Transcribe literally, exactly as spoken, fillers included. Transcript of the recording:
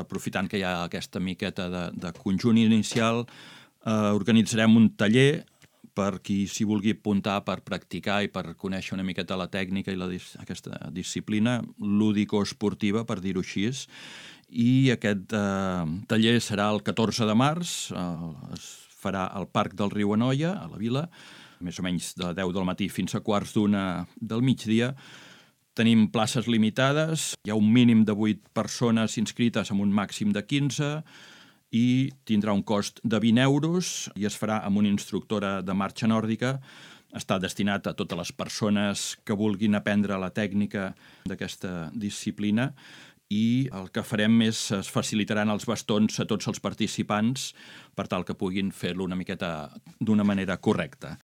aprofitant que hi ha aquesta miqueta de, de conjunt inicial, eh, organitzarem un taller per qui s'hi vulgui apuntar per practicar i per conèixer una miqueta la tècnica i la, aquesta disciplina lúdico-esportiva, per dir-ho així. I aquest eh, taller serà el catorze de març, eh, es farà al Parc del Riu Anoia, a la Vila, més o menys de deu del matí fins a quarts d'una del migdia. Tenim places limitades, hi ha un mínim de vuit persones inscrites amb un màxim de quinze, i tindrà un cost de vint euros i es farà amb una instructora de marxa nòrdica. Està destinat a totes les persones que vulguin aprendre la tècnica d'aquesta disciplina i el que farem és es facilitaran els bastons a tots els participants per tal que puguin fer-lo una miqueta d'una manera correcta.